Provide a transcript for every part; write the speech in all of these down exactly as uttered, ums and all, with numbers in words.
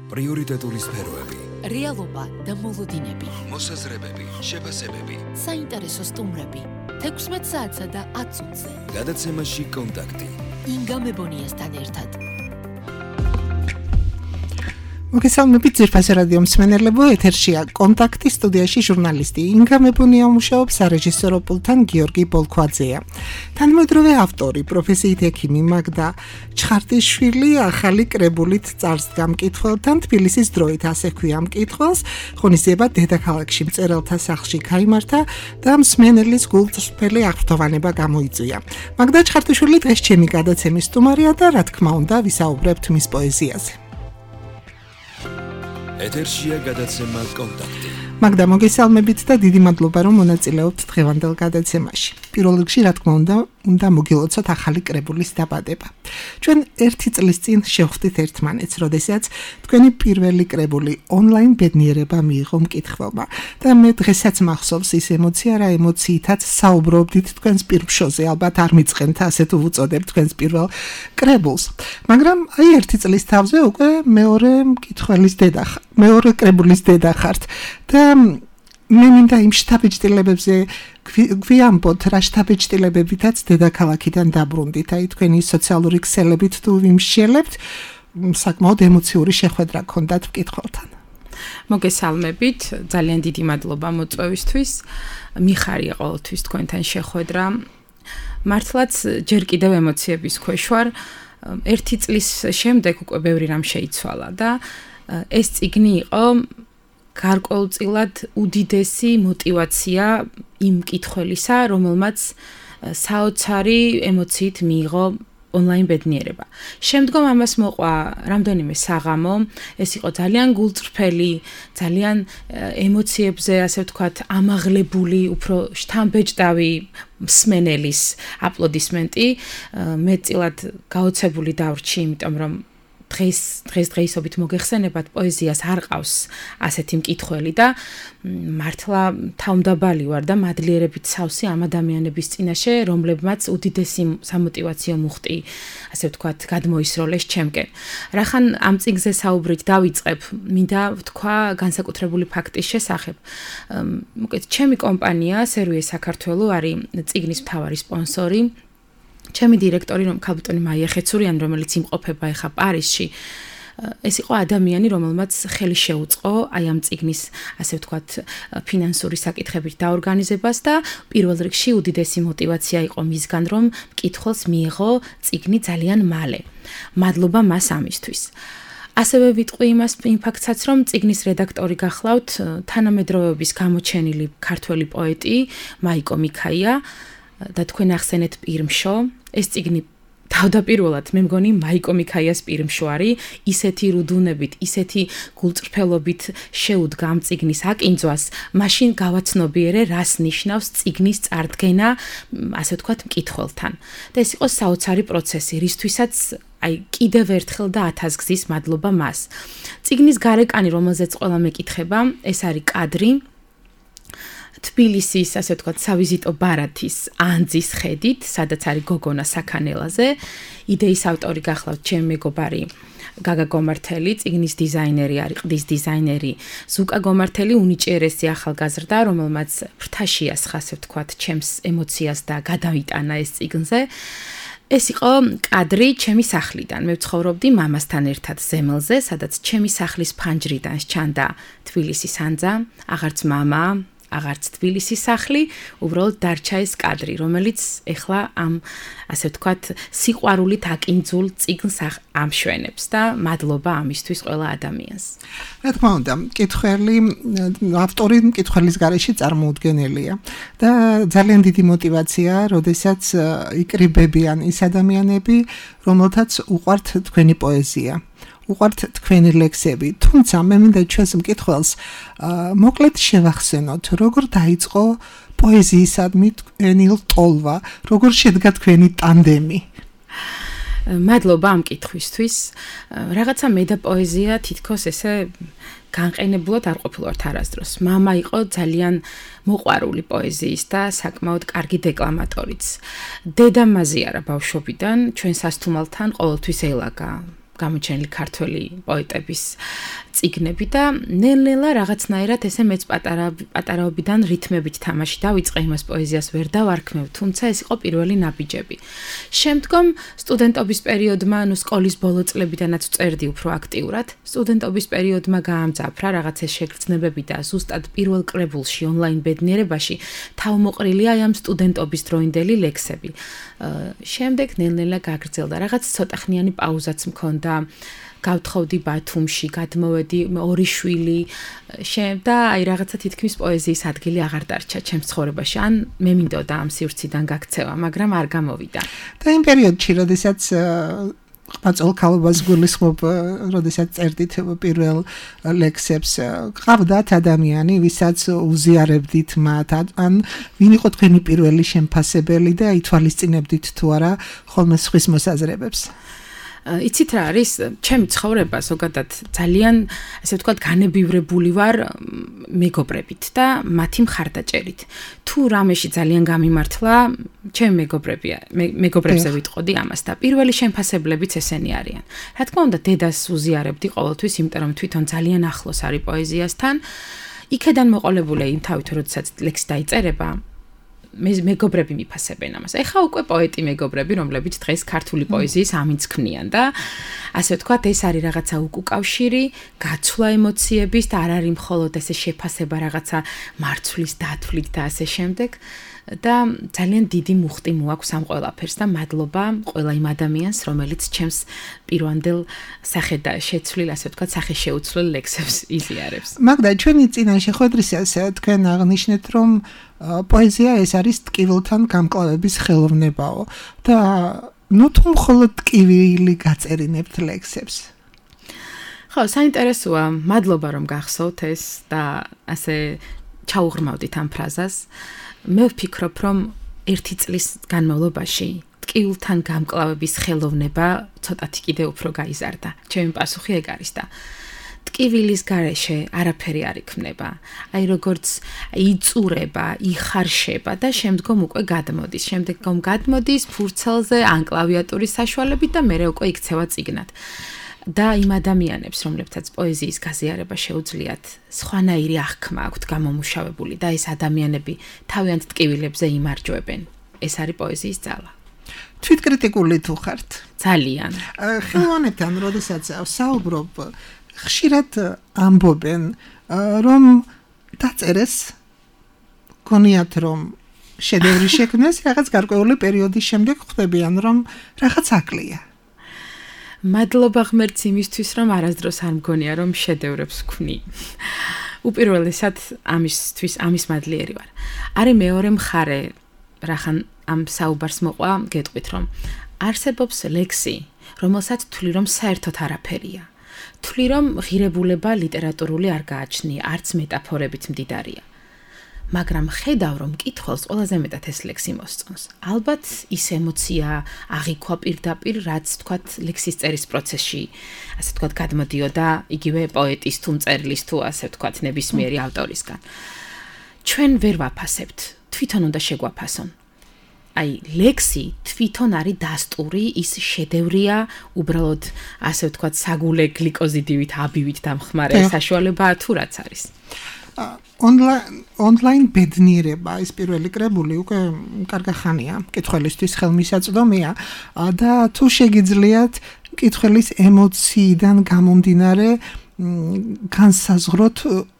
პრიორიტეტული სფეროები, რეალობა და მოლოდინები, მოსაზრებები, შეფასებები, საინტერესო სტუმრები, თექვსმეტ საათსა და ათ წუთზე. გადაცემაში კონტაქტი. ინგა მებონიასთან ერთად. მოგესალმებით ძირფასი რადიო მსმენელებო, ეთერშია კონტაქტი, სტუდიაში ჟურნალისტი ინგა მებონია მუშაობს, სარეჟისორო პულტთან გიორგი ბოლქვაძეა. თანამედროვე ავტორი, პროფესიით ექიმი მაგდა ჩხარტიშვილი ახალი კრებულით წარსდგა მკითხველთან, თბილისის დროით ასე ქვია მკითხველს, ღონისძიება დედაქალაქში მწერალთა სახლში გაიმართა და მსმენელის გულწრფელი აღფრთოვანება გამოიწვია. მაგდა ჩხარტიშვილი დღეს ჩემი გადაცემის სტუმარია და რა თქმა უნდა ვისაუბრებთ მის პოეზიაზე. ეთერშია გადაცემა კონტაქტი. მაგდა მოგესალმებით და დიდი მადლობა რომ მონაწილეობთ დღევანდელ გადაცემაში. პირველ რიგში რა თქმა უნდა, უნდა მოგილოცოთ ახალი კრებულის დაბადება. ჩვენ ერთი წლის წინ შევხვდით ერთმანეთს, როდესაც თქვენი პირველი კრებული ონლაინ ბედნიერება მიიღო მკითხველმა და მე დღესაც მახსოვს ის ემოცია, რა ემოციითაც საუბრობდით თქვენს პირმშოზე, ალბათ არ მიწყენთ ასე თუ უწოდებთ თქვენს პირველ კრებულს. მაგრამ აი ერთი წლის თავზე უკვე მეორე მკითხველის დედა, მეორე კრებულის დედა ხართ და მე მინდა იმ შთაბეჭდილებებზე გვიამბოთ, რა შთაბეჭდილებებითაც დედაქალაქიდან დაბრუნდით, აი თქვენი სოციალური ქსელებით თუ ვიმსჯელებთ, საკმაოდ ემოციური შეხვედრა გქონდათ მკითხველთან. მოგესალმებით, ძალიან დიდი მადლობა მოწვევისთვის, მიხარია ყოველთვის თქვენთან შეხვედრა. მართლაც ჯერ კიდევ ემოციების ქვეშ ვარ. ერთი წლის შემდეგ უკვე ბევრი რამ შეიცვალა და ეს წიგნი იყო გარკვეულწილად უდიდესი მოტივაცია იმ მკითხველისა, რომელმაც საოცარი ემოციით მიიღო ონლაინ ბედნიერება. შემდგომ ამას მოყვა რამდენიმე საღამო, ეს იყო ძალიან გულწრფელი, ძალიან ემოციებზე, ასე ვთქვათ, ამაღლებული, უფრო შთამბეჭდავი მსმენელის აპლოდისმენტი. მეტწილად გაოცებული დავრჩი, იმიტომ რომ დღეს დღეს დღეისობით მოგეხსენებათ პოეზიას არ ყავს ასეთი მკითხველი და მართლა თავმდაბალი ვარ და მადლიერებით სავსე ამ ადამიანების წინაშე, რომლებმაც უდიდესი სამოტივაციო მუხტი, ასე ვთქვათ, გადმოისროლეს ჩემკენ. რახან ამ წიგნზე საუბრით დავიწყებ, მინდა ვთქვა განსაკუთრებული ფაქტის შესახებ. მოკეთ, ჩემი კომპანია სერვიე საქართველო არის წიგნის მთავარი სპონსორი. ჩემი დირექტორი რომ ქალბატონი მაია ხეცურიანი, რომელიც იმყოფება ახლა პარიზში, ეს იყო ადამიანი, რომელმაც ხელი შეუწყო აი ამ წიგნის, ასე ვთქვათ, ფინანსური საკითხებით დაორგანიზებას და პირველ რიგში უდიდესი მოტივაცია იყო მისგან, რომ მკითხველს მიიღო წიგნი ძალიან მალე. მადლობა მას ამისთვის. ასევე ვიტყვი იმას იმ ფაქტსაც, რომ წიგნის რედაქტორი გახლავთ თანამედროვეობის გამოჩენილი ქართველი პოეტი მაიკო მიქაია და თქვენ ახსენეთ პირმშო, ეს წიგნი თავდაპირველად მე მგონი მაიკო მიქაიას პირმშო არის, ისეთი რუდუნებით, ისეთი გულწრფელობით შეუდგა ამ წიგნის აკინძვას, მაშინ გავაცნობიერე, რას ნიშნავს წიგნის წარდგენა, ასე ვთქვათ, მკითხველთან. და ეს იყო საოცარი პროცესი, რისთვისაც აი კიდევ ერთხელ და ათასგზის მადლობა მას. წიგნის გარეკანი, რომელზეც ყველა მეკითხება, ეს არის კადრი თბილისის, ასე ვთქვათ, სავიზიტო ბარათის ანძის ხედით, სადაც არის გოგონა საქანელაზე. იდეის ავტორი გახლავთ ჩემი მეგობარი გაგა გომართელი, წიგნის დიზაინერი არის, ყდის დიზაინერი ზუკა გომართელი, უნიჭიერესი ახალგაზრდა, რომელმაც ფრთაში ასხა, ასე ვთქვათ, ჩემს ემოციას და გადავიტანა ეს წიგნზე. ეს იყო კადრი ჩემი სახლიდან. მე ვცხოვრობდი მამასთან ერთად ზემელზე, სადაც ჩემი სახლის ფანჯრიდან სჩანდა თბილისის ანძა, აღარც მამა, აღარც თბილისის სახლი, უბრალოდ დარჩა ეს კადრი, რომელიც ეხლა ამ, ასე ვთქვათ, სიყვარულით აკინძულ წიგნს ამშვენებს და მადლობა ამისთვის ყველა ადამიანს. რა თქმა უნდა, მკითხველი, ავტორი მკითხველის გარეშე წარმოუდგენელია და ძალიან დიდი მოტივაციაა, როდესაც იკრიბებიან ის ადამიანები, რომელთაც უყვართ თქვენი პოეზია. უყვართ თქვენი ლექსები, თუმცა მე მინდა ჩვენს მკითხველს მოკლედ შევახსენოთ, როგორ დაიწყო პოეზიისადმი თქვენი ლტოლვა, როგორ შედგა თქვენი ტანდემი. მადლობა ამ კითხვისთვის. რაღაცა მე და პოეზია თითქოს ესე განყენებულად არ ყოფილვართ არასდროს. მამა იყო ძალიან მოყვარული პოეზიის და საკმაოდ კარგი დეკლამატორიც. დედა მაზიარა ბავშვობიდან, ჩვენ სასთუმალთან ყოველთვის ელაგა. გამოჩენილი ქართველი პოეტების წიგნები და ნელ-ნელა რაღაცნაირად ესე მეც პატარა პატარაობიდან რითმებით თამაში დავიწყე იმას პოეზიას ვერ დავარქმევ, თუმცა ეს იყო პირველი ნაბიჯები. შემდგომ სტუდენტობის პერიოდმა, ანუ სკოლის ბოლო წლებიდანაც წერდი უფრო აქტიურად. სტუდენტობის პერიოდმა გაამძაფრა რაღაცა შეგრძნებები და ზუსტად პირველ კრებულში ონლაინ ბედნიერებაში თავმოყრილია აი ამ სტუდენტობის დროინდელი ლექსები. შემდეგ ნელ-ნელა გაგრძელდა. რაღაც ცოტახნიანი პაუზაც მქონდა. გავთხოვდი ბათუმში, გადმოვედი ორი შვილი, და აი რაღაცა თითქმის პოეზიის ადგილი აღარ დარჩა ჩემს ცხოვრებაში. ან მე მინდოდა ამ სივრციდან გაქცევა, მაგრამ არ გამოვიდა. და იმ პერიოდში, როდესაც ყმაწვილ ქალობას გულისხმობ, როდესაც წერდით პირველ ლექსებს, ყავდათ ადამიანი, ვისაც უზიარებდით მათ, ან ვინ იყო თქვენი პირველი შემფასებელი და ითვალისწინებდით თუ არა ხოლმე სხვის მოსაზრებებს? იცით რა არის, ჩემი ცხოვრება ზოგადად ძალიან, ასე ვთქვათ, განებივრებული ვარ მეგობრებით და მათი მხარდაჭერით. თუ რამეში ძალიან გამიმართლა, ჩემი მეგობრებია, მეგობრებზე ვიტყოდი ამას და პირველი შემფასებლებიც ესენი არიან. რა თქმა უნდა, დედას უზიარებდი ყოველთვის, იმიტომ რომ თვითონ ძალიან ახლოს არის პოეზიასთან. იქედან მოყოლებული იმ თავით, როდესაც ლექსი დაიწერება, მე მეგობრები მიფასებენ ამას. ეხა უკვე პოეტი მეგობრები, რომლებიც დღეს ქართული პოეზიის ამინც ქმნიან და ასე ვთქვათ, ეს არის რაღაცა უკავშირი, გაცვლა ემოციების და არ არის მხოლოდ ესე შეფასება რაღაცა მარცვლის დათვლით და ასე შემდეგ. და ძალიან დიდი მუხტი მოაქვს ამ ყველაფერს და მადლობა ყველა იმ ადამიანს, რომელიც ჩემს პირვანდელ სახედა შეცვლილ, ასე ვთქვათ, სახეშეუცვლელ ლექსებს იზიარებს. მაგდა, ჩვენი წინა შეხვედრისას თქვენ აღნიშნეთ, რომ პოეზია ეს არის ტკივილთან გამკლავების ხელოვნებაო და ნუ თუ მხოლოდ ტკივილი გაწერინებთ ლექსებს. ხო, საინტერესოა, მადლობა რომ გახსოვთ ეს და ასე ჩაუღრმავდით ამ ფრაზას. მე ვფიქრობ, რომ ერთი წლის განმავლობაში ტკივილთან გამკლავების ხელოვნება ცოტათი კიდე უფრო გაიზარდა. ჩემი პასუხი ეგ არის და ტკივილის გარეშე არაფერი არ იქმნება. აი როგორც იწურება, იხარშება და შემდგომ უკვე გადმოდის. შემდგომ გადმოდის ფურცელზე ან კლავიატურის საშუალებით და მერე უკვე იქცევა წიგნად. და იმ ადამიანებს, რომლებთაც პოეზიის გაზიარება შეუძლიათ, სხვანაირი აღქმა აქვთ გამომუშავებული და ეს ადამიანები თავიანთ ტკივილებზე იმარჯვებენ. ეს არის პოეზიის ძალა. თვითკრიტიკული თუ ხართ? ძალიან. ხელოვანებთან, როდესაც საუბრობ, ხშირად ამბობენ, რომ დაწერეს, გონიათ რომ შედევრი შექმნეს, რაღაც გარკვეული პერიოდის შემდეგ ხვდებიან, რომ რაღაც აკლია. მადლობა ღმერთს იმისთვის, რომ არასდროს არ მგონია, რომ შედევრებს ვქმნი. უპირველესად ამისთვის, ამის მადლიერი ვარ. არის მეორე მხარე, რახან ამ საუბარს მოყვა, გეტყვით, რომ არსებობს ლექსი, რომელსაც თვლი, რომ საერთოდ არაფერია. თვლი, რომ ღირებულება ლიტერატურული არ გააჩნია, არც მეტაფორებით მდიდარია. მაგრამ ხედავ, რომ მკითხველს ყველაზე მეტად ეს ლექსი მოსწონს. ალბათ ის ემოცია აღიქვა პირდაპირ, რაც თქვათ ლექსის წერის პროცესში, ასე თქვათ, გადმოდიოდა იგივე პოეტის თუ მწერლის თუ ასე თქვათ ნებისმიერი ავტორისგან. ჩვენ ვერ ვაფასებთ, თვითონ უნდა შეგვაფასონ. აი, ლექსი თვითონ არის დასტური, ის შედევრია, უბრალოდ ასე ვთქვათ, საგულე გლიკოზიდივით, აბივით დამხმარე საშუალებაა თუ რაც არის. ონლაინ ბედნიერება, ეს პირველი კრებული უკვე კარგი ხანია, მკითხველისთვის ხელმისაწვდომია და თუ შეგიძლიათ მკითხველის ემოციიდან გამომდინარე განსაზღვროთ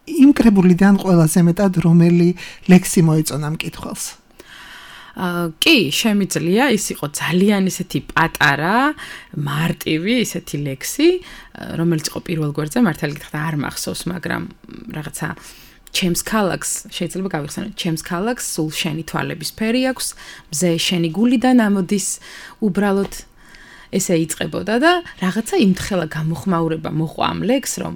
იმ კრებულიდან ყველაზე მეტად რომელი ლექსი მოეწონა მკითხველს. კი, შემიძლია, ის იყო ძალიან ისეთი პატარა, მარტივი ისეთი ლექსი, რომელიც იყო პირველ გვერდზე, მართალი გითხრათ არ მახსოვს, მაგრამ რაღაცა ჩემს ქალაქს, შეიძლება გავიხსენოთ, ჩემს ქალაქს სულ შენი თვალების ფერი აქვს, მზე შენი გულიდან ამოდის, უბრალოდ ესე იწყებოდა და რაღაცა იმთხელა გამოხმაურება მოყვა ამ ლექსს, რომ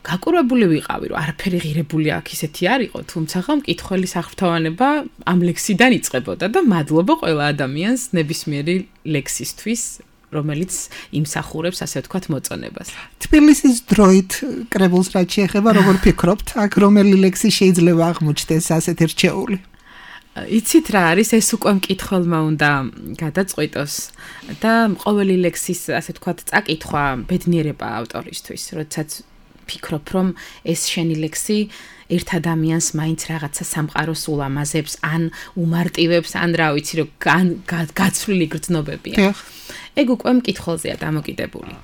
გაკურებული ვიყავი, რომ არაფერი ღირებული აქ ისეთი არ იყო, თუმცა ხომ მკითხველის აღფრთოვანება ამ ლექსიდან იწყებოდა და მადლობა ყველა ადამიანს ნებისმიერი ლექსისთვის, რომელიც იმსახურებს, ასე ვთქვათ, მოწონებას. თბილისის დროით კრებულს რაც შეეხება, როგორ ფიქრობთ, აქ რომელი ლექსი შეიძლება აღმოჩნდეს ასეთ რჩეული? იცით რა არის ეს უკვე მკითხველმა უნდა გადაწყვიტოს და ყოველი ლექსის ასე ვთქვათ წაკითხვა ბედნიერება ავტორისთვის, როდესაც ფიქრობ რომ ეს შენი ლექსი ერთ ადამიანს მაინც რაღაცა სამყაროს ულამაზებს, ან უმარტივებს, ან რა ვიცი რომ გაცვლილი გრძნობებია. ეგ უკვე მკითხველზეა დამოკიდებული.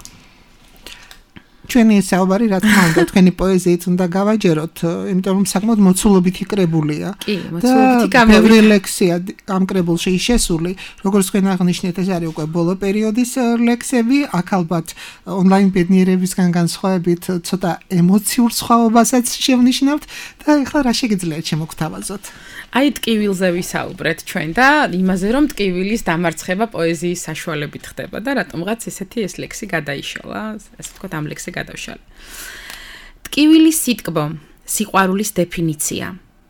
ჩვენი საუბარი რა თქმა უნდა თქვენი პოეზიით უნდა გავაჯეროთ, იმიტომ რომ საკმაოდ მოცულობითი კრებულია. კი, მოცულობითი გამოვიდა. ბევრი ლექსია ამ კრებულში შესული, როგორც თქვენ აღნიშნეთ, ეს არის უკვე ბოლო პერიოდის ლექსები, აქ ალბათ ონლაინ ბედნიერებისგან განსხვავებით ცოტა ემოციურ სხვაობასაც შევნიშნავთ და ეხლა რა შეგიძლიათ შემოგთავაზოთ? აი ტკივილზე ვისაუბრეთ ჩვენ და იმაზე რომ ტკივილის დამარცხება პოეზიის საშუალებით ხდება და რატომღაც ესეთი ეს ლექსი გადაიშალა, ასე ვთქვათ ამ ლექსი გადავშალე. ტკივილის სიტკბო, სიყვარულის დეფინიცია,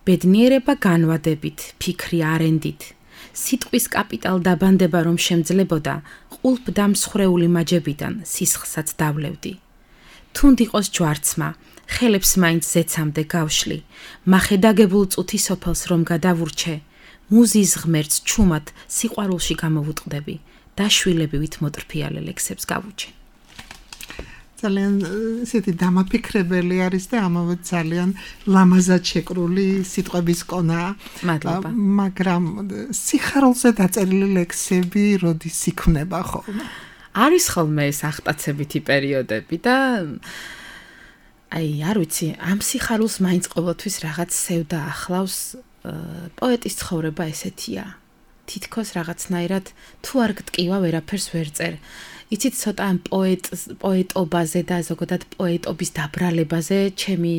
ბედნიერება განვადებით, ფიქრი არენდით, სიტყვის კაპიტალ დაბანდება რომ შემძლებოდა, ყულფ დამსხრეული მაჯებიდან სისხლსაც დავლევდი. თუნდ იყოს ჯვარცმა, ხელებს მაინც ზეცამდე გავშლი, მახედაგებულ წუთი სოფელს რომ გადავურჩე, მუზის ღმერთს ჩუმად სიყვარულში გამოვუტყდები და შვილებივით მოტრფიალე ლექსებს გავუჩე. ძალიან ისეთი დამაფიქრებელი არის და ამავე ძალიან ლამაზად შეკრული სიტყვების კონაა. მადლობა. მაგრამ სიხარულზე დაწერილი ლექსები როდის იქმნება ხოლმე? არის ხოლმე ეს ახტაცებითი პერიოდები და აი, არ ვიცი, ამ სიხარულს მაინც ყოველთვის რაღაც სევდა ახლავს, პოეტის ცხოვრება ესეთია. თითქოს რაღაცნაირად თუ არ გტკივა ვერაფერს ვერ წერ. იცით ცოტა ამ პოეტ პოეტობაზე და ზოგადად პოეტობის დაბრალებაზე ჩემი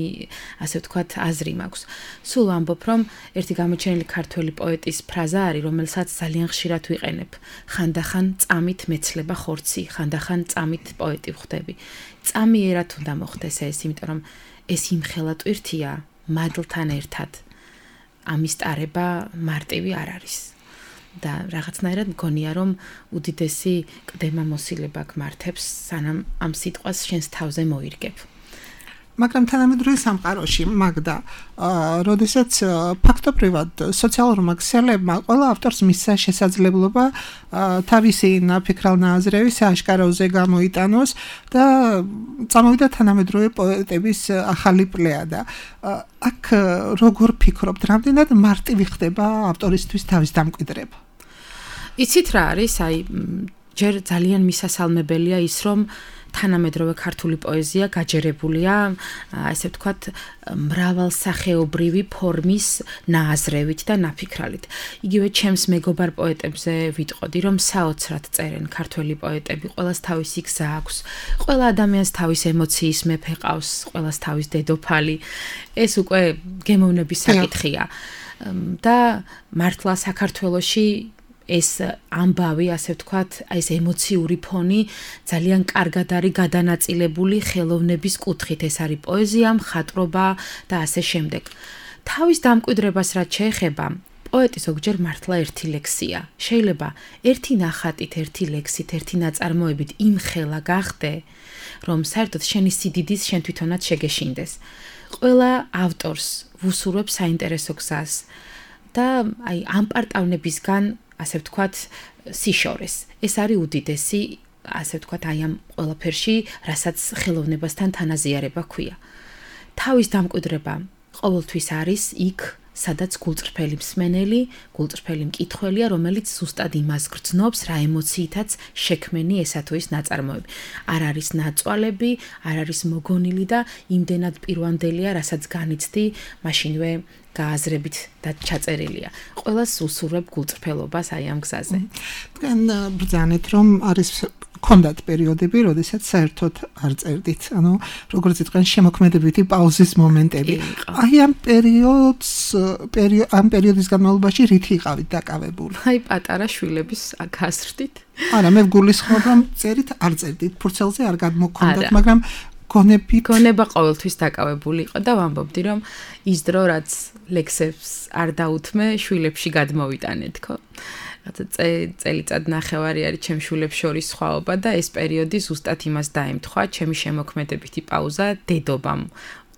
ასე ვთქვათ აზრი მაქვს. სულ ამბობ რომ ერთი გამოჩენილი ქართველი პოეტის ფრაზა არის, რომელსაც ძალიან ხშირად ვიყენებ. ხანდახან წამით მეცლება ხორცი, ხანდახან წამით პოეტი ვხდები. წამიერად უნდა მოხდეს ეს, იმიტომ რომ ეს იმხელა ტვირთია მადლთან ერთად. ამის ტარება მარტივი არ არის. და რაღაცნაირად მგონია რომ უდიდესი ყდება მოსილება გმართებს, სანამ ამ სიტყვას შენს თავზე მოირგებ. მაგრამ თანამედროვე სამყაროში მაგდა, როდესაც ფაქტობრივად სოციალურმა ქსელებმა ყველა ავტორს მისცა შესაძლებლობა თავისი ნაფიქრალ ნაზრები სააშკაროზე გამოიტანოს და წამოვიდა თანამედროვე პოეტების ახალი პლეადა. აქ როგორ ფიქრობთ, რამდენად მარტივი ხდება ავტორისთვის თავის დამკვიდრება? იცით რა არის, აი ჯერ ძალიან მისასალმებელია ის რომ თანამედროვე ქართული პოეზია გაჯერებულია, ასე ვთქვათ, მრავალსახეობრივი ფორმის ნააზრევით და ნაფიქრალით. იგივე ჩემს მეგობარ პოეტებზე ვიტყოდი, რომ საოცრად წერენ ქართველი პოეტები, ყველას თავისი გზა აქვს, ყველა ადამიანს თავის ემოციის მეფე ყავს, ყველას თავის დედოფალი. ეს უკვე გემოვნების საკითხია. და მართლა საქართველოში ეს ამბავი, ასე ვთქვათ, ეს ემოციური ფონი ძალიან კარგად არის გადანაწილებული ხელოვნების კუთხით. ეს არის პოეზია, მხატვრობა და ასე შემდეგ. თავის დამკვიდრებას რაც შეეხება, პოეტი ზოგჯერ მართლა ერთი ლექსია. შეიძლება ერთი ნახატით, ერთი ლექსით, ერთი ნაწარმოებით იმხელა გახდე, რომ საერთოდ შენი სიდიდის შენ თვითონაც შეგეშინდეს. ყველა ავტორს ვუსურვებ საინტერესო გზას და აი ამ პარტავნებისგან ასე ვთქვათ, სიშორეს. ეს არის უდიდესი, ასე ვთქვათ, აი ამ ყველაფერში, რასაც ხელოვნებასთან თანაზიარება ქვია. თავის დამკვიდრება ყოველთვის არის იქ, სადაც გულწრფელი მსმენელი, გულწრფელი მკითხველია, რომელიც ზუსტად იმას გრძნობს, რა ემოციითაც შექმენი ესა თუ ის ნაწარმოები. არ არის ნაწვალები, არ არის მოგონილი და იმდენად პირვანდელია, რასაც განიცდი, მაშინვე გააზრებით და ჩაწერილია. ყველას უსურვებ გულწრფელობას აი ამ გზაზე. თქვენ ბრძანეთ, რომ არის ქონდათ პერიოდები, როდესაც საერთოდ არ წერდით. ანუ როგორც იტყვიან, შემოქმედებითი პაუზის მომენტები. აი ამ პერიოდს, ამ პერიოდის განმავლობაში რითი იყავით დაკავებული? აი პატარა შვილების გაზრდით. არა, მე ვგულისხმობ, რომ წერით, არ წერდით, ფურცელზე არ გადმოქონდათ, მაგრამ გონები გონება ყოველთვის დაკავებული იყო და ვამბობდი რომ ის დრო რაც ლექსებს არ დაუთმე შვილებში გადმოვიტანეთ ხო წელიწად ნახევარი არის ჩემ შვილებს შორის სხვაობა და ეს პერიოდი ზუსტად იმას დაემთხვა ჩემი შემოქმედებითი პაუზა დედობამ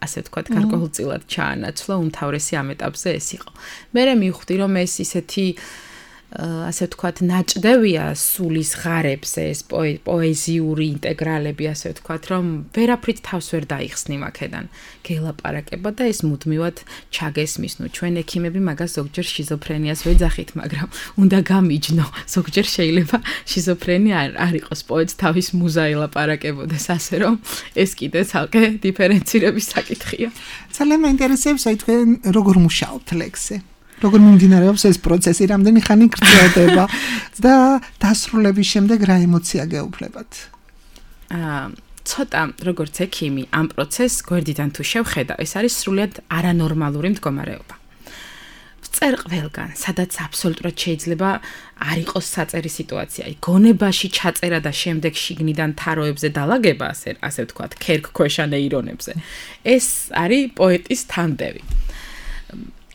ასე ვთქვათ, გარკვეულწილად ჩაანაცვლა, უმთავრესი ამ ეტაპზე ეს იყო. მე მივხვდი, რომ ეს ისეთი ასე ვთქვათ, ნაჭდევია სულის ღარებზე, ეს პოეზიური ინტეგრალები, ასე ვთქვათ, რომ ვერაფრით თავს ვერ დაიხსნი მაქედან. გელაპარაკება და ეს მუდმივად ჩაგესმის. ნუ ჩვენ ექიმები მაგას ზოგჯერ შიზოფრენიას ვეძახით, მაგრამ უნდა გამიჯნო. ზოგჯერ შეიძლება შიზოფრენია არ იყოს პოეტს თავის მუზა ელაპარაკებოდეს, ასე რომ ეს კიდე ცალკე დიფერენცირების საკითხია. ძალიან მაინტერესებს, აი თქვენ როგორ მუშაობთ ლექსზე? როგორ მიმდინარეობს ეს პროცესი, რამდენი ხანი გრძელდება და დასრულების შემდეგ რა ემოცია გეუფლებათ? აა ცოტა როგორც ექიმი ამ პროცესს გვერდიდან თუ შევხედავ, ეს არის სრულიად არანორმალური მდგომარეობა. ვწერ ყველგან, სადაც აბსოლუტურად შეიძლება არ იყოს საწერი სიტუაცია. გონებაში ჩაწერა და შემდეგ შიგნიდან თაროებზე დალაგება, ასე ასე ვთქვათ, ქერქქვეშა ნეირონებზე. ეს არის პოეტის თანდევი.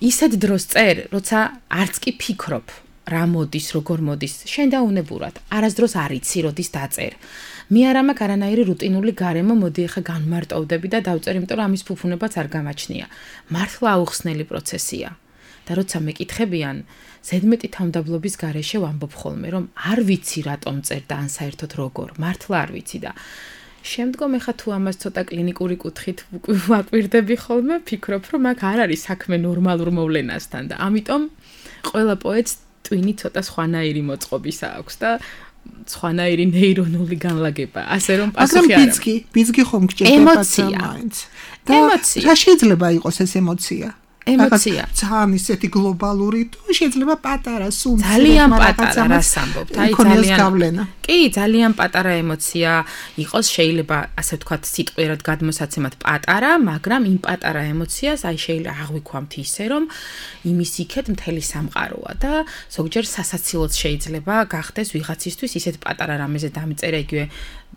ისეთ დროს წერ, როცა არც კი ფიქრობ, რა მოდის, როგორ მოდის, შენდაუნებურად, არასდროს არ იცი, როდის დაწერ. მე არ მაქვს არანაირი რუტინული გარემო, მოდი ახლა განმარტოვდები და დავწერ, იმიტომ რომ ამის ფუფუნებაც არ გამაჩნია. მართლა აუხსნელი პროცესია. და როცა მეკითხებიან, ზედმეტი თავმდაბლობის გარეშე ვამბობ ხოლმე, რომ არ ვიცი რატომ წერ და ან საერთოდ როგორ, მართლა არ ვიცი და შემდგომ ეხა თუ ამას ცოტა კლინიკური კუთხით ვაკვირდები ხოლმე, ფიქრობ, რომ აქ არ არის საქმე ნორმალურ მოვლენასთან და ამიტომ ყველა პოეტს ტვინი ცოტა სხვანაირი მოწყობისა აქვს და სხვანაირი ნეირონული განლაგება, ასე რომ პასუხი არ აქვს. ბიძგი, ბიძგი ხომ გჭირდება მაინც. ემოცია. რა შეიძლება იყოს ეს ემოცია? ემოცია. ძალიან ისეთი გლობალური, თუ შეიძლება პატარა სულ ძალიან პატარა, რას ამბობთ? აი ძალიან გავლენა. კი, ძალიან პატარა ემოცია იყოს, შეიძლება ასე ვთქვათ, სიტყვიერად გადმოსაცემად პატარა, მაგრამ იმ პატარა ემოციას აი შეიძლება აღვიქვამთ ისე, რომ იმის იქეთ მთელი სამყაროა და ზოგჯერ სასაცილოც შეიძლება გახდეს ვიღაცისთვის ისეთ პატარა რამეზე დამწერა იგივე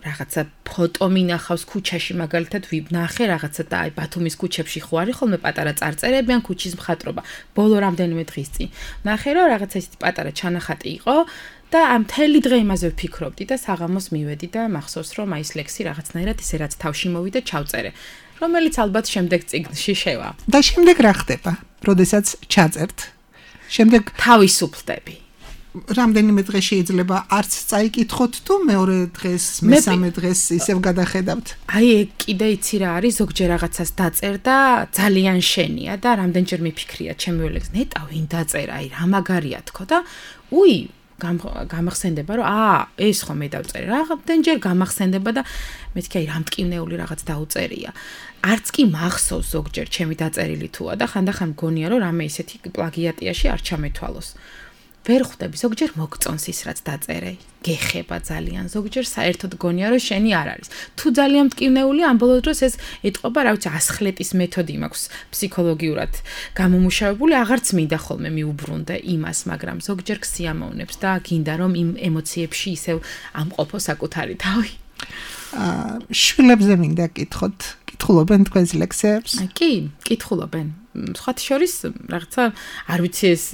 რაღაცა ფოტო მინახავს ქუჩაში მაგალითად ვიბნახე რაღაცა და აი ბათუმის ქუჩებში ხო არის ხოლმე პატარა წარწერები ან ქუჩის მხატვრობა ბოლო რამდენიმე დღის წინ ნახე რომ რაღაცა ისეთი პატარა ჩანახატი იყო და ამ მთელი დღე იმაზე ვფიქრობდი და საღამოს მივედი და მახსოვს რომ აი ეს ლექსი რაღაცნაირად ისე რაც თავში მოვიდა ჩავწერე რომელიც ალბათ შემდეგ წიგნში შევა და შემდეგ რა ხდება როდესაც ჩაწერთ შემდეგ თავისუფლდები რამდენიმე დღე შეიძლება არც წაიკითხოთ თუ მეორე დღეს, მესამე დღეს ისევ გადახედავთ. აი ეგ კიდე იცი რა არის, ზოგჯერ რაღაცას დაწერ და ძალიან შენია და რამდენჯერ მიფიქრია ჩემი ლექსი, ნეტა ვინ დაწერა, აი რა მაგარია თქო და უი გამახსენდება რომ აა ეს ხომ მე დავწერე, რამდენჯერ გამახსენდება და მეთქი აი რამტკივნეული რაღაც დაუწერია. არც კი მახსოვს ზოგჯერ ჩემი დაწერილი თუა და ხანდახან მგონია რომ რამე ისეთი პლაგიატიაში არ ჩამეთვალოს. ვერ ხვდები, ზოგჯერ მოგწონს ის რაც დაწერე, გეხება ძალიან, ზოგჯერ საერთოდ გონია რომ შენი არ არის. თუ ძალიან მტკივნეული ამ ბოლო დროს ეს ეტყობა, რა ვიცი, ასხლეტის მეთოდი მაქვს ფსიქოლოგიურად გამომუშავებული, აღარც მინდა ხოლმე მიუბრუნდე იმას, მაგრამ ზოგჯერ ქსიამოვნებს და გინდა რომ იმ ემოციებში ისევ ამყოფო საკუთარი თავი. აა შვილებზე მინდა კითხოთ, კითხულობენ თქვენს ლექსებს? კი, კითხულობენ. სხვათა შორის რაღაცა არ ვიცი ეს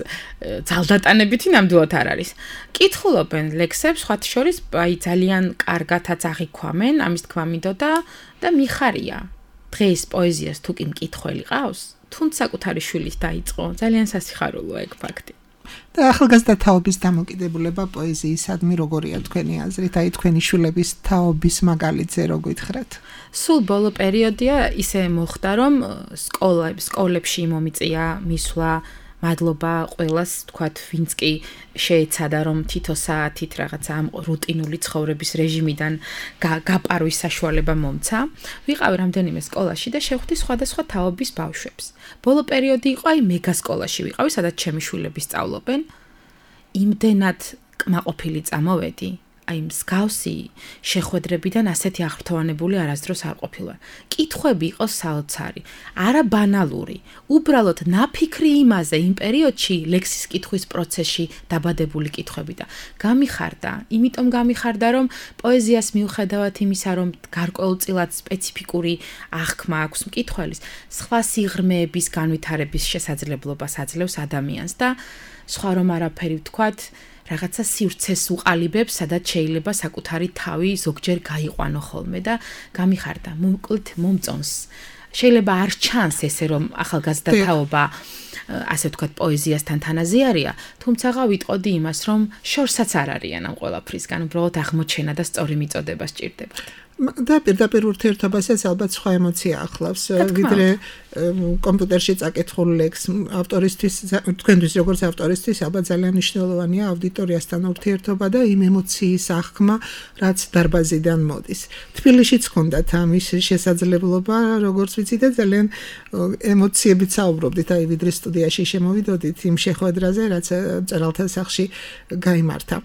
ძალდატანებითი ნამდვილად არ არის. კითხულობენ ლექსებს, სხვათა შორის აი ძალიან კარგათაც აღიქვამენ, ამის თქმა მინდოდა და მიხარია. დღეს პოეზიას თუ კი მკითხველი ყავს, თუნდაც საკუთარი შვილით დაიწყო, ძალიან სასიხარულოა ეგ ფაქტი. და ახალგაზრდა თაობის დამოკიდებულება პოეზიისადმი როგორია თქვენი აზრით, აი თქვენი შვილების თაობის მაგალითზე რო გითხრათ? სულ ბოლო პერიოდია ისე მოხდა, რომ სკოლა სკოლებში მომიწია მისვლა, მადლობა ყველას, თქვათ, ვინც კი შეეცადა რომ თითო საათით რაღაცა ამ რუტინული ცხოვრების რეჟიმიდან გაპარვის საშუალება მომცა. ვიყავი რამდენიმე სკოლაში და შევხვდი სხვადასხვა თაობის ბავშვებს. ბოლო პერიოდი იყო აი მეგა სკოლაში ვიყავი, სადაც ჩემი შვილები სწავლობენ. იმდენად კმაყოფილი წამოვედი. აი მსგავსი შეხვედრებიდან ასეთი აღფრთოვანებული არასდროს არ ყოფილა. კითხვები იყო საოცარი, არა ბანალური, უბრალოდ ნაფიქრი იმაზე იმ პერიოდში ლექსის კითხვის პროცესში დაბადებული კითხვები და გამიხარდა, იმიტომ გამიხარდა, რომ პოეზიას მიუხედავად იმისა, რომ გარკვეულწილად სპეციფიკური აღქმა აქვს მკითხველის, სხვა სიღრმეების განვითარების შესაძლებლობას აძლევს ადამიანს და სხვა რომ არაფერი ვთქვათ, რაღაცა სივრცეს უყალიბებს, სადაც შეიძლება საკუთარი თავი ზოგჯერ გაიყვანო ხოლმე და გამიხარდა, მომკლით მომწონს შეიძლება არ ჩანს ესე რომ ახალგაზრდა თაობა ასე ვთქვათ პოეზიასთან თანაზიარია, თუმცა ვიტყოდი იმას, რომ შორსაც არ არიან ამ ყველაფრისგან, უბრალოდ აღმოჩენა და სწორი მიწოდება სჭირდებათ. და პირდაპირ ურთიერთობასაც ალბათ სხვა ემოცია ახლავს, ვიდრე კომპიუტერში წაკითხულ ლექს ავტორისთვის, თქვენთვის როგორც ავტორისთვის ალბათ ძალიან მნიშვნელოვანია აუდიტორიასთან ურთიერთობა და იმ ემოციის აღქმა, რაც დარბაზიდან მოდის. თბილისშიც ჰქონდათ ამის შესაძლებლობა, როგორც ვიცი და ძალიან ემოციებით საუბრობდით, აი ვიდრე სტუდიაში შემოვიდოდით იმ შეხვედრაზე, რაც მწერალთა სახლში გაიმართა.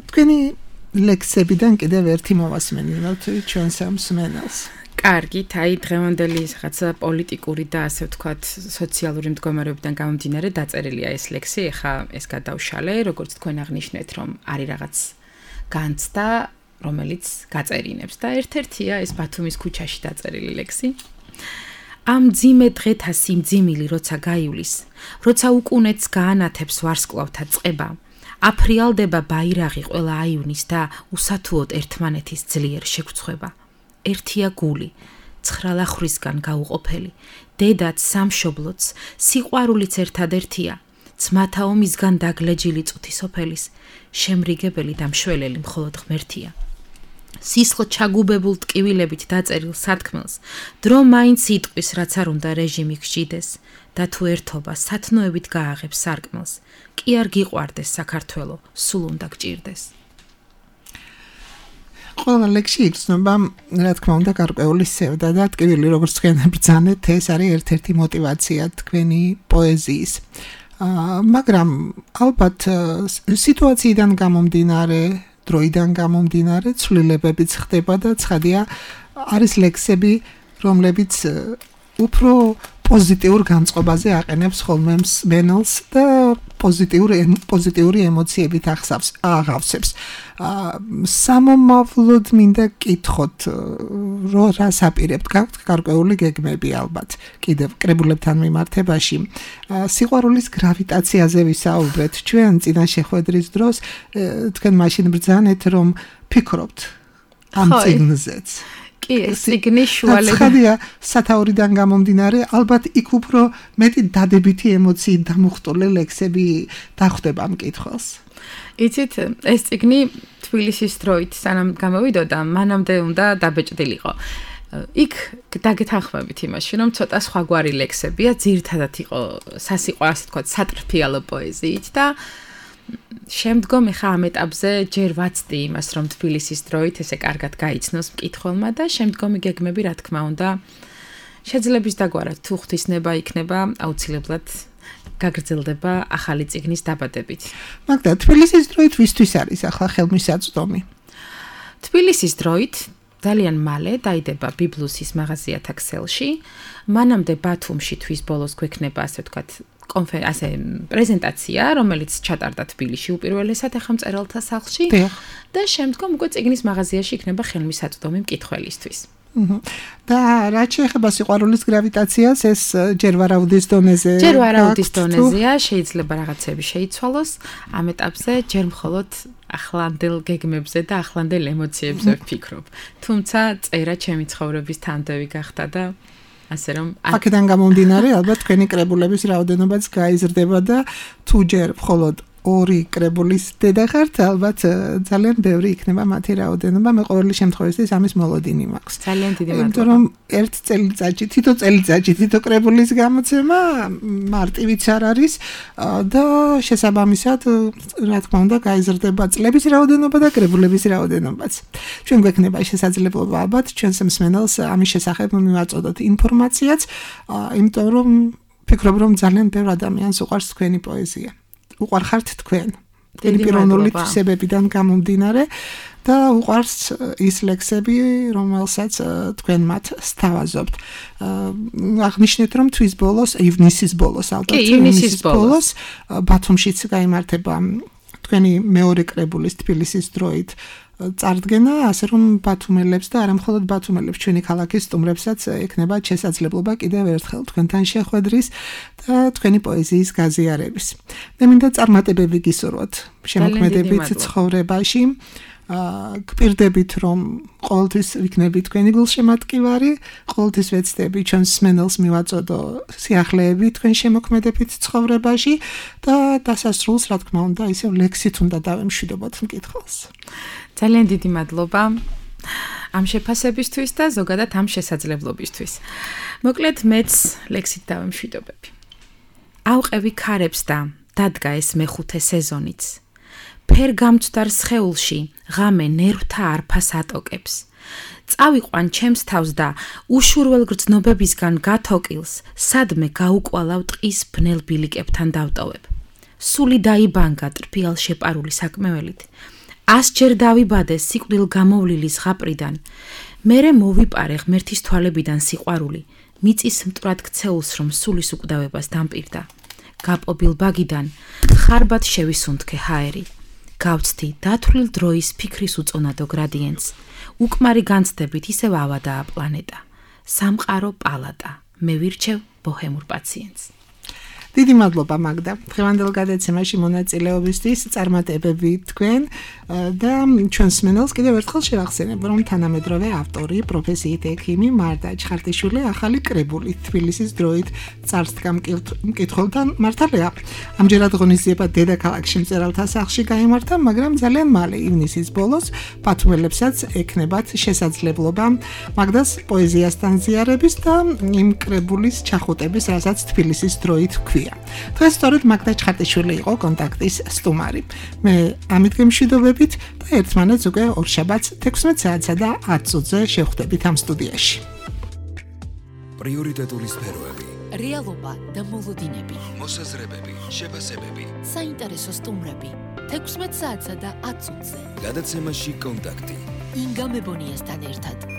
თქვენი ლექსებიდან კიდევ ერთი მოვასმენინოთ ჩვენს მსმენელს. კარგით, აი დღევანდელი რაღაცა პოლიტიკური და ასე ვთქვათ სოციალური მდგომარეობიდან გამომდინარე დაწერილია ეს ლექსი, ეხა ეს გადავშალე, როგორც თქვენ აღნიშნეთ, რომ არის რაღაც განცდა, რომელიც გაწერინებს და ერთ-ერთია ეს ბათუმის ქუჩაში დაწერილი ლექსი. ამ ძიმე დღეთა სიმძიმილი როცა გაივლის, როცა უკუნეთს გაანათებს ვარსკვლავთა წყება, აფრიალდება ბაირაღი ყველა აივნის და უსათუოდ ერთმანეთის ძლიერ შეგვწხვება. ერთია გული, ცხრალახრისგან გაუყოფელი, დედაც სამშობლოც, სიყვარულიც ერთადერთია, ძმათა ომისგან დაგლეჯილი წუთისოფელის, შემრიგებელი და მშველელი მხოლოდ ღმერთია. სისხლ ჩაგუბებულ ტკივილებით დაწერილ სათქმელს, დრო მაინც იტყვის, რაც არ უნდა რეჟიმი გჯიდეს, და თუ ერთობა სათნოებით გააღებს სარკმელს, კი არ გიყვარდეს საქართველო, სულ უნდა გჭირდეს. ყველა ლექსში იგრძნობა, რა თქმა უნდა, გარკვეული სევდა და ტკივილი, როგორც თქვენ ბრძანეთ, ეს არის ერთ-ერთი мотиваცია თქვენი პოეზიის. მაგრამ ალბათ სიტუაციიდან გამომდინარე, დროიდან გამომდინარე, ცვლილებებიც ხდება და ცხადია, არის ლექსები, რომლებიც უფრო პოზიტიურ განწყობაზე აყენებს ხოლმე მსმენელს და პოზიტიური პოზიტიური ემოციებით ახსავს აღავსებს. სამომავლოდ მინდა კითხოთ, რო რას აპირებთ, გაქვთ გარკვეული გეგმები ალბათ კიდევ კრებულებთან მიმართებაში. სიყვარულის გრავიტაციაზე ვისაუბრეთ ჩვენ წინა შეხვედრის დროს, თქვენ მაშინ ბრძანეთ, რომ ფიქრობთ ამ წიგნზეც. კი, ეს ციგნი შუალედან. ცხადია, სათაურიდან გამომდინარე, ალბათ იქ უფრო მეტი დადებითი ემოციით დამუხტული ლექსები დახვდება მკითხველს. იცით, ეს ციგნი თბილისის დროით სანამ გამოვიდოდა, მანამდე უნდა დაბეჭდილიყო. იქ დაგეთანხმებით იმაში, რომ ცოტა სხვაგვარი ლექსებია, ძირითადად იყო სასიყვარულო, ასე ვთქვათ, სატრფიალო პოეზიით და შემდგომ ხა ამ ეტაპზე ჯერ ვაცდი იმას, რომ თბილისის დროით ესე კარგად გაიცნოს მკითხველმა და შემდგომი გეგმები, რა თქმა უნდა, შეძლებს დაგვარად თუ ღვთისნება იქნება, აუცილებლად გაგრძელდება ახალი წიგნის დაბადებით. მაგდა თბილისის დროით ვისთვის არის ახლა ხელმისაწვდომი? თბილისის დროით ძალიან მალე დაიდება ბიბლუსის მაღაზიათა ქსელში, მანამდე ბათუმში თვის ბოლოს გვექნება, ასე ვთქვათ, კონფერ ასე პრეზენტაცია, რომელიც ჩატარდა თბილისში უპირველესად ახლა მწერალთა სახლში და შემდგომ უკვე წიგნის მაღაზიაში იქნება ხელმისაწვდომი მკითხველისთვის. და რაც შეეხება სიყვარულის გრავიტაციას, ეს ჯერ ვარაუდის დონეზე. ჯერ ვარაუდის დონეზეა, შეიძლება რაღაცები შეიცვალოს, ამ ეტაპზე ჯერ მხოლოდ ახლანდელ გეგმებზე და ახლანდელ ემოციებზე ვფიქრობ. თუმცა წერა ჩემი ცხოვრების თანდევი გახდა და ასე რომ აქედან გამომდინარე, ალბათ თქვენი კრებულების რაოდენობაც გაიზრდება და თუ ჯერ მხოლოდ ორი კრებულის დედა ხართ, ალბათ ძალიან ბევრი იქნება მათი რაოდენობა, მე ყოველი შემთხვევაში ამის მოლოდინი მაქვს. ძალიან დიდი მადლობა. იმიტომ რომ ერთ წელიწადში, თითო წელიწადში თითო კრებულის გამოცემა მარტივიც არ არის და შესაბამისად, რა თქმა უნდა, გაიზრდება წლების რაოდენობა და კრებულების რაოდენობაც. ჩვენ გვექნება შესაძლებლობა ალბათ ჩვენს მსმენელს ამის შესახებ მივაწოდოთ ინფორმაციაც, იმიტომ რომ ფიქრობ რომ ძალიან ბევრ ადამიანს უყვარს თქვენი პოეზია. უყვარხართ თქვენ. თქვენი პიროვნული თვისებებიდან გამომდინარე და უყვარს ის ლექსები, რომელსაც თქვენ მათ სთავაზობთ. აღნიშნეთ, რომ თვის ბოლოს, ივნისის ბოლოს, ალბათ ივნისის ბოლოს ბათუმშიც გაიმართება თქვენი მეორე კრებულის თბილისის დროით წარდგენა, ასე რომ ბათუმელებს და არა მხოლოდ ბათუმელებს, ჩვენი ქალაქის სტუმრებსაც ექნება შესაძლებლობა კიდევ ერთხელ თქვენთან შეხვედრის და თქვენი პოეზიის გაზიარების. მე მინდა წარმატებები გისურვოთ შემოქმედებით ცხოვრებაში. გპირდებით რომ ყოველთვის ვიქნები თქვენი გულშემატკივარი, ყოველთვის ვეცდები ჩვენს მსმენელს მივაწოდო სიახლეები თქვენ შემოქმედებით ცხოვრებაში და დასასრულს რა თქმა უნდა ისევ ლექსით უნდა დავემშვიდობოთ მკითხველს. ძალიან დიდი მადლობა ამ შეფასებისთვის და ზოგადად ამ შესაძლებლობისთვის. მოკლედ მეც ლექსით დავემშვიდობები. ავყევი ქარებს და დადგა ეს მეხუთე სეზონიც. ფერ გამწვდარ სხეულში ღამე ნერვთა არფას ატოკებს. წავიყვან ჩემს თავს და უშურველ გრძნობებისგან გათოკილს სადმე გაუკვალავ ტყის ბნელ ბილიკებთან დავტოვებ. სული დაიბანგა ტრფიალ შეპარული საკმეველით. ასჯერ დავიბადე სიკვდილ გამოვლილი ზღაპრიდან. მერე მოვიპარე ღმერთის თვალებიდან სიყვარული. მიწის მტრად ქცეულს რომ სულის უკვდავებას დამპირდა. გაპობილ ბაგიდან ხარბად შევისუნთქე ჰაერი. გავცდი დათვლილ დროის ფიქრის უწონადო გრადიენტს. უკმარი განცდებით ისევ ავადაა პლანეტა. სამყარო პალატა. მე ვირჩევ ბოჰემურ პაციენტს. დიდი მადლობა მაგდა. დღევანდელ გადაცემაში მონაწილეობისთვის წარმატებები თქვენ და ჩვენს მსმენელს კიდევ ერთხელ შევახსენებ, რომ თანამედროვე ავტორი, პროფესიით ექიმი მარდა ჩხარტიშვილი ახალი კრებული თბილისის დროით წარსდგა მკითხველთან მართალია. ამჯერად ღონისძიება დედაქალაქში მწერალთა სახლში გაიმართა, მაგრამ ძალიან მალე ივნისის ბოლოს ბათუმელებსაც ექნებათ შესაძლებლობა მაგდას პოეზიასთან ზიარების და იმ კრებულის ჩახუტების, რასაც თბილისის დროით ჰქვია. დღეს სწორედ მაგდა ჩხარტიშვილი იყო კონტაქტის სტუმარი. მე ამით გემშვიდობებით და ერთმანეთს უკვე ორშაბათს თექვსმეტ საათსა და ათ წუთზე შევხვდებით ამ სტუდიაში. პრიორიტეტული სფეროები, რეალობა და მოლოდინები, მოსაზრებები, შეფასებები, საინტერესო სტუმრები. თექვსმეტ საათსა და ათ წუთზე. გადაცემაში კონტაქტი. ინგა მებონიასთან ერთად.